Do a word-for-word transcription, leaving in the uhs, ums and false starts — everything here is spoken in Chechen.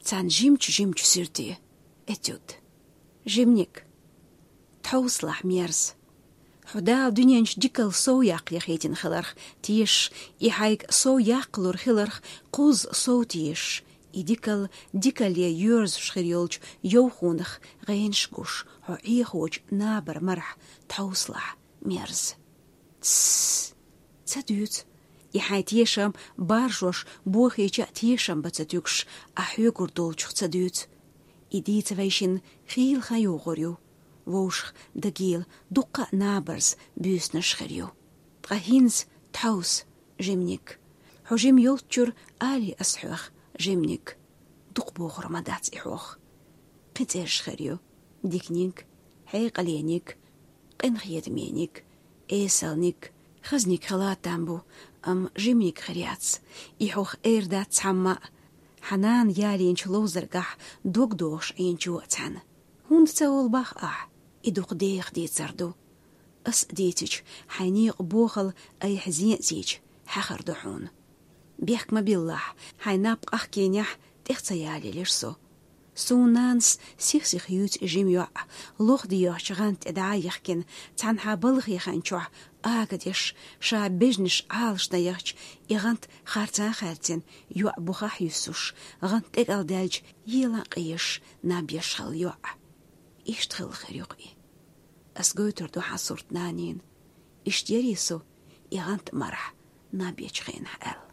Цхьан жимчу-жимчу суьрте. Этюд. Жимник. Тхьовсалахь, мерза. Хьо Дала дуьнен чу дикал сов яккха яхийтина хиларх тешаш, и хьайга сов яккхалур хиларх кхузза сов тешаш, и дикал дикале йоьрзуш хир йолчу йовхонах гӀенаш гуш, хьо Ӏехочу набар марахь тхьовсалахь, мерза. Тссс! Ца дуьйцу. И хьайн тешам баржош бохийча а тешам бан ца туьгуш, ахь хьоьгур долчух ца дуьйцу. И дийца вайшинна хийла хан йогӀур ю. Вовшах дагийла дуккха а набарза буьйсанаш хир ю. Ткъа хӀинца тхьовса, жимник. Хьо жима йолччуьра алий ас хьох, жимник. Дукха бохур ма дац и хьох. Кхин цӀераш хир ю: диканиг, хьекъалениг, къинхетамениг, эсалниг, хазниг хила там бу, амма жимниг хир яц. И хьох эр дац цхьамма а, хьан нана ялийначу ловзаргахь дог дохуш Ӏийначо а цхьаьна. ХӀунда ца волу боху ахь? И дукха деха дийцар ду. Ас а дийцича, хьайн некъан бохал айхьа зен а зийча, хьаьхар ду хьуна. Бехк ма биллахь, хьайн наб къахкийнехь, тӀех ца ялийлира со. Суна нанас сих-сиха юьйцу и жима йоӀ, лоха дегӀачу гӀанта тӀе дӀа а яхкина, цхьанхьа балхе хан чохь ага деш, ша бежнаш Ӏалашдан яхча, и гӀант харцахь а хаьрцина, йоӀ бухахь а юьссуш, гӀант тӀекӀал даьлча, елан а къезаш, наб еш хилла йоӀ. Иштта хилла хир ю-кх и. Ас гойтур ду хьан сурт нанина. Иштта ярий со и гӀант марахь наб ечу хенахь аьлла.